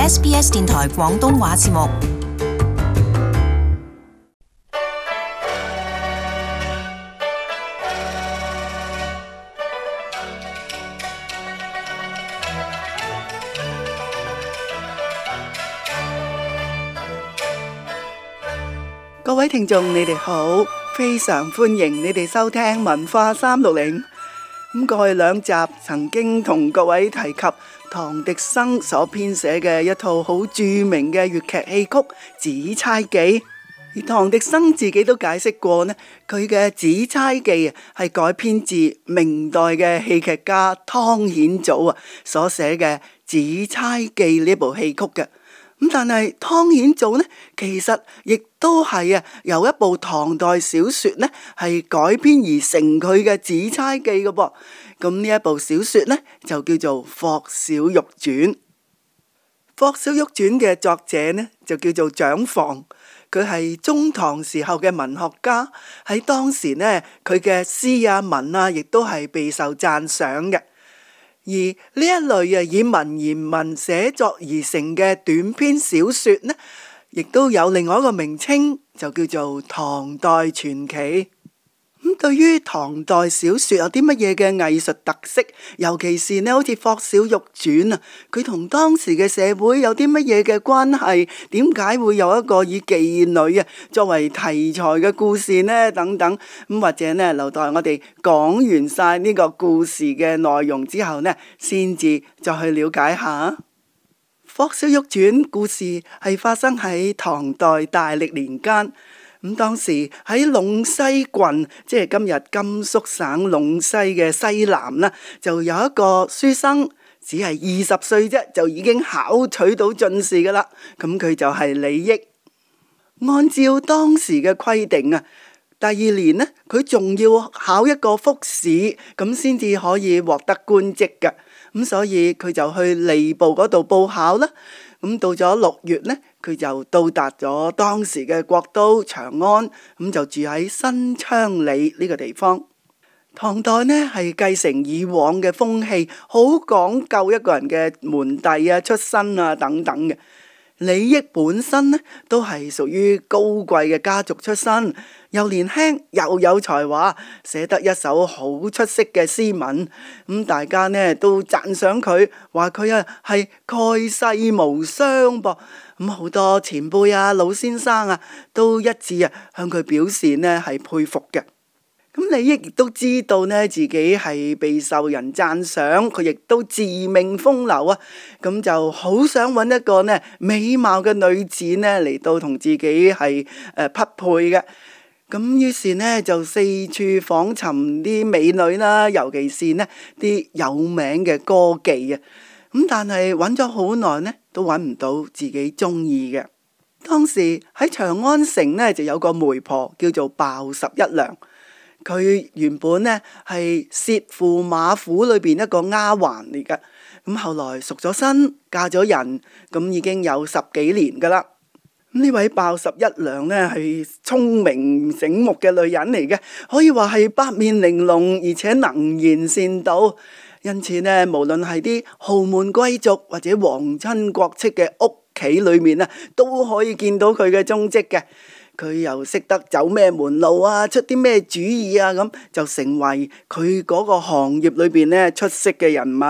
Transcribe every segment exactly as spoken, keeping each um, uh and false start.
S B S 電台廣東話節目。各位聽眾，你哋好，非常歡迎你哋收聽文化三六零。咁過去兩集曾經同各位提及唐滌生所編寫嘅一套好著名嘅粵劇戲曲《紫釵記》，而唐滌生自己都解釋過呢，佢嘅《紫釵記》啊係改編自明代嘅戲劇家湯顯祖啊所寫嘅《紫釵記》呢部戲曲嘅。咁但係湯顯祖呢，其實亦都係啊由一部唐代小說呢係改編而成佢嘅《紫釵記》嘅噃。咁呢一部小說呢就叫做《霍小玉傳》。《霍小玉傳》嘅作者呢就叫做蔣房，佢係中唐時候嘅文學家，喺當時呢佢嘅詩啊文啊亦都係備受讚賞嘅。而呢一類啊以文言文寫作而成嘅短篇小說呢，亦都有另外一個名稱，就叫做唐代傳奇。咁對於唐代小說有啲乜嘢嘅藝術特色，尤其是呢好似《霍小玉傳》啊，佢同當時嘅社會有啲乜嘢嘅關係？點解會有一個以妓女啊作為題材嘅故事呢？等等咁，或者呢留待我哋講完晒呢個故事嘅內容之後呢，先至再去了解下。《霍小玉傳》故事係發生喺唐代大歷年間。咁當時喺隴西郡，即係今日甘肅省隴西嘅西南啦，就有一個書生，只係二十歲啫，就已經考取到進士噶啦。咁佢就係李益。按照當時嘅規定啊，第二年呢，佢仲要考一個複試，咁先至可以獲得官職嘅。咁所以佢就去吏部嗰度報考啦。咁到咗六月呢，佢就到達咗當時嘅國都長安，咁就住喺新昌里呢個地方。唐代呢係繼承以往嘅風氣，好講究一個人嘅門第啊、出身啊等等嘅。李益本身呢都係屬於高貴嘅家族出身，又年輕又有才華，寫得一手好出色嘅詩文。咁大家呢都讚賞佢，話佢啊係蓋世無雙噃。咁好多前輩啊、老先生啊都一致啊向佢表示呢係佩服嘅。咁李益亦都知道呢自己係備受人讚賞，佢亦都自命風流啊，咁就好想揾一個呢美貌嘅女子呢嚟到同自己係誒匹配嘅。咁於是呢就四處訪尋啲美女啦，尤其是呢啲有名嘅歌妓啊。咁但係揾咗好耐呢都揾唔到自己中意嘅。當時喺長安城呢就有個媒婆叫做鮑十一娘。佢原本呢係薛駙馬府裏邊一個丫鬟嚟噶，咁後來贖咗身，嫁咗人，咁已經有十幾年噶啦。呢位鮑十一娘呢係聰明醒目嘅女人嚟嘅，可以話係八面玲瓏，而且能言善道。因此呢，無論係啲豪門貴族或者皇親國戚嘅屋企裏面呢，都可以見到佢嘅蹤跡嘅。佢又識得走咩門路啊，出啲咩主意啊，咁就成為佢嗰個行業裏邊呢出色嘅人物。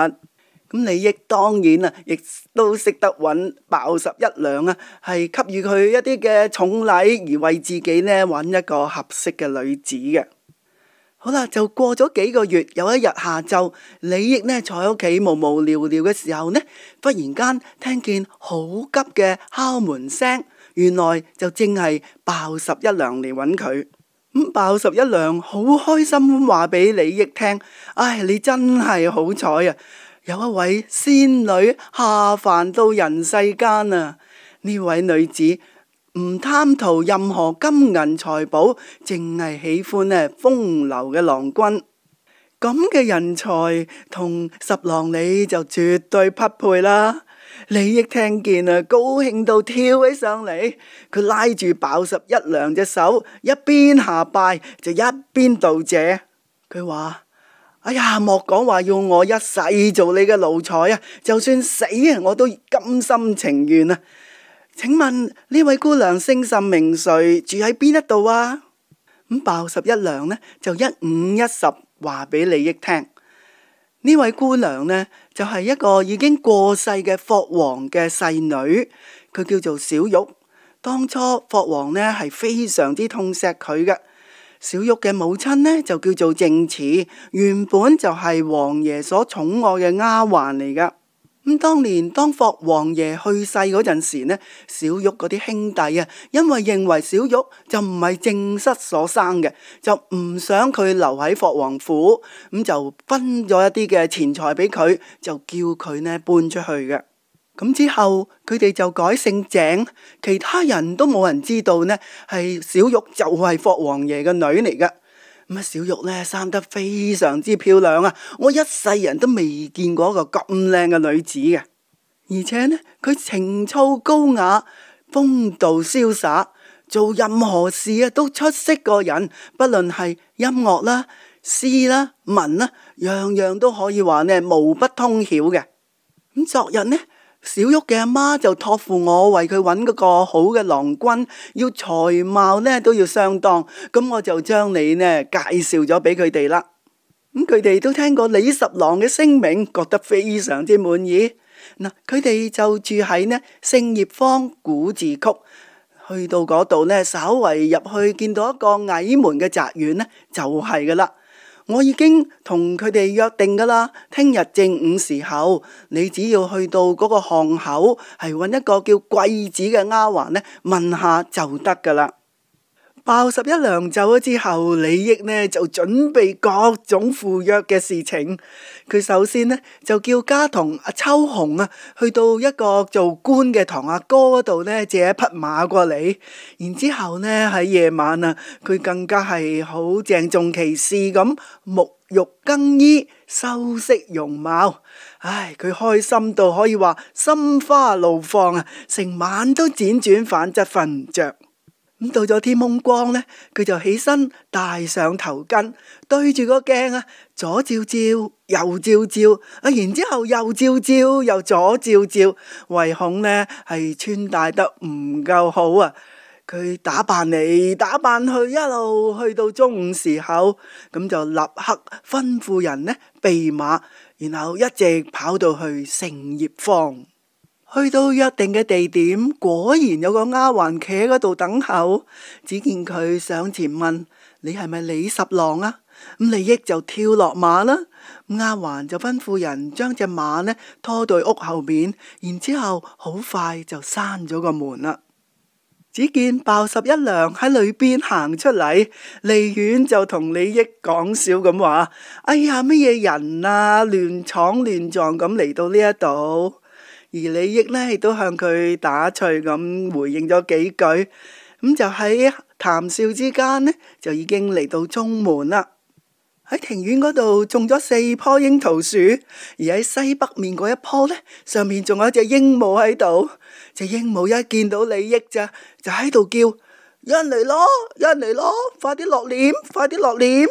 咁李益當然啊，亦都識得揾鮑十一娘啊，係給予佢一啲嘅重禮，而為自己呢揾一個合適嘅女子嘅。好啦，就過咗幾個月，有一日下晝，李益呢坐喺屋企無無聊聊嘅時候呢，忽然間聽見好急嘅敲門聲。原來就正係鮑十一娘嚟揾佢。咁鮑十一娘好開心咁話俾李益聽：唉，你真係好彩啊！有一位仙女下凡到人世間啊！呢位女子唔貪圖任何金銀財寶，淨係喜歡呢風流嘅郎君。咁嘅人才同十郎你就絕對匹配啦！李益聽見啊，高興到跳起上嚟，佢拉住鮑十一娘隻手，一邊下拜就一邊道謝。佢話：哎呀，莫講話要我一世做你嘅奴才啊，就算死啊，我都甘心情願啊！請問呢位姑娘姓甚名誰，住喺邊一度啊？咁鮑十一娘呢就一五一十話俾李益聽。呢位姑娘呢就係一個已經過世嘅霍王嘅細女，佢叫做小玉。當初霍王呢係非常之痛錫佢嘅。小玉嘅母親呢就叫做靜慈，原本就係王爺所寵愛嘅丫鬟嚟噶。咁當年當霍王爺去世嗰陣時呢，小玉嗰啲兄弟啊，因為認為小玉就唔係正室所生嘅，就唔想佢留喺霍王府，咁就分咗一啲嘅錢財俾佢，就叫佢呢搬出去嘅。咁之後佢哋就改姓鄭，其他人都冇人知道呢係小玉就係霍王爺嘅女嚟噶。咁啊，小玉呢生得非常之漂亮啊！我一世人都未見過一個咁靚嘅女子嘅，而且呢佢情操高雅，風度瀟灑，做任何事啊都出色過人，不論係音樂啦、詩啦、文啦，樣樣都可以話呢無不通曉嘅。咁昨日呢，小玉嘅阿媽就託付我為佢揾嗰個好嘅郎君，要才貌呢都要相當，咁我就將你呢介紹咗俾佢哋啦。咁佢哋都聽過李十郎嘅聲名，覺得非常之滿意。嗱，佢哋就住喺呢聖葉坊古字曲，去到嗰度呢，稍為入去見到一個矮門嘅宅院呢，就係噶啦。我已經同佢哋約定噶啦，聽日正午時候，你只要去到嗰個巷口，係揾一個叫桂子嘅丫鬟呢，問下就得噶啦。鮑十一娘走咗之後，李益呢就準備各種赴約嘅事情。佢首先呢就叫家童阿秋紅啊，去到一個做官嘅堂阿哥嗰度呢借一匹馬過嚟。然之後呢喺夜晚啊，佢更加係好鄭重其事咁沐浴更衣，修飾容貌。唉，佢開心到可以話心花怒放啊，成晚都輾轉反側瞓唔着。咁到咗天蒙光呢，佢就起身戴上頭巾，對住個鏡啊，左照照，右照照，啊，然之後右照照，又左照照，唯恐呢係穿戴得唔夠好啊！佢打扮嚟打扮去，一路去到中午時候，咁就立刻吩咐人呢備馬，然後一直跑到去聖葉坊。去到約定嘅地點，果然有個丫鬟企喺嗰度等候。只見佢上前問：你係咪李十郎啊？咁李益就跳落馬啦。丫鬟就吩咐人將隻馬呢拖到屋後面，然之後好快就閂咗個門啦。只見鮑十一娘喺裏邊行出嚟，離遠就同李益講笑咁話：哎呀，乜嘢人啊，亂闖亂撞咁嚟到呢一度。而李益呢亦都向佢打趣咁回應咗幾句，咁就喺談笑之間呢，就已經嚟到中門啦。喺庭院嗰度種咗四棵櫻桃樹，而喺西北面嗰一棵呢，上面仲有一隻鸚鵡喺度。隻鸚鵡一見到李益咋，就喺度叫：有人嚟咯，有人嚟咯，快啲落簾，快啲落簾。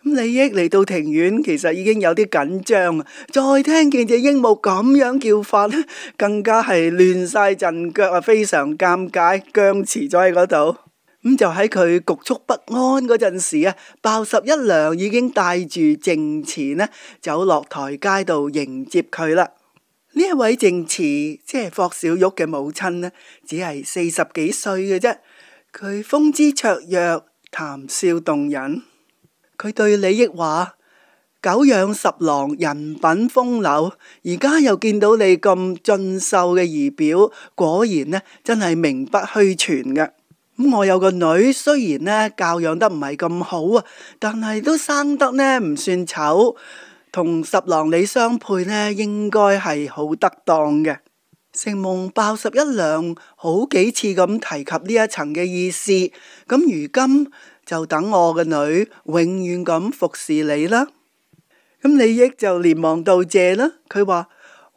咁李益嚟到庭院，其實已經有啲緊張啊！再聽見隻鸚鵡咁樣叫法，更加係亂晒陣腳啊，非常尷尬，僵持咗喺嗰度。咁就喺佢局促不安嗰陣時啊，鮑十一娘已經帶住靜慈呢走落台階度迎接佢啦。呢一位靜慈即係霍小玉嘅母親呢，只係四十幾歲嘅啫。佢風姿綽約，談笑動人。佢對李益話：久仰十郎人品風流，而家又見到你咁俊秀嘅儀表，果然呢真係名不虛傳嘅。咁我有個女，雖然呢教養得唔係咁好啊，但係都生得呢唔算醜，同十郎你相配呢，應該係好得當嘅。承蒙鮑十一娘好幾次咁提及呢一層嘅意思，咁如今就等我嘅女永遠咁服侍你啦。咁李益就連忙道謝啦。佢話：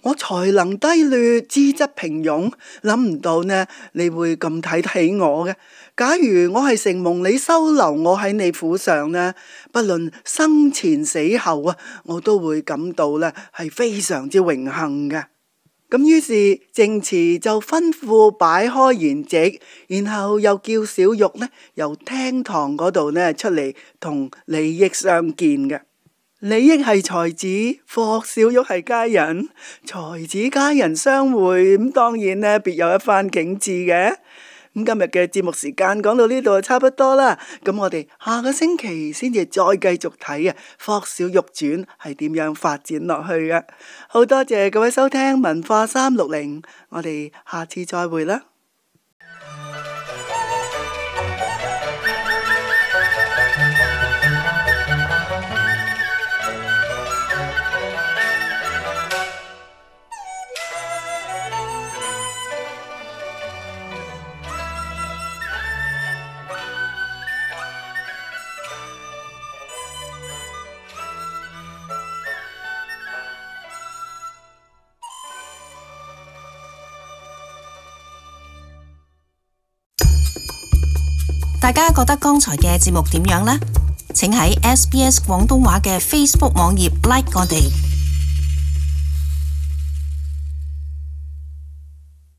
我才能低劣，資質平庸，諗唔到呢，你會咁睇得起我嘅。假如我係承蒙你收留我喺你府上呢，不論生前死後啊，我都會感到呢係非常之榮幸嘅。咁於是淨慈就吩咐擺開筵席，然後又叫小玉呢由廳堂嗰度呢出嚟同李益相見嘅。李益係才子，霍小玉係佳人，才子佳人相會，咁當然呢別有一番景致嘅。咁今日嘅節目時間講到呢度就差不多啦，咁我哋下個星期先至再繼續睇啊《霍小玉傳》係點樣發展落去嘅。好多謝各位收聽文化三六零，我哋下次再會啦。大家覺得剛才嘅節目點樣呢？請喺 S B S 廣東話嘅 Facebook 網頁 like 我哋。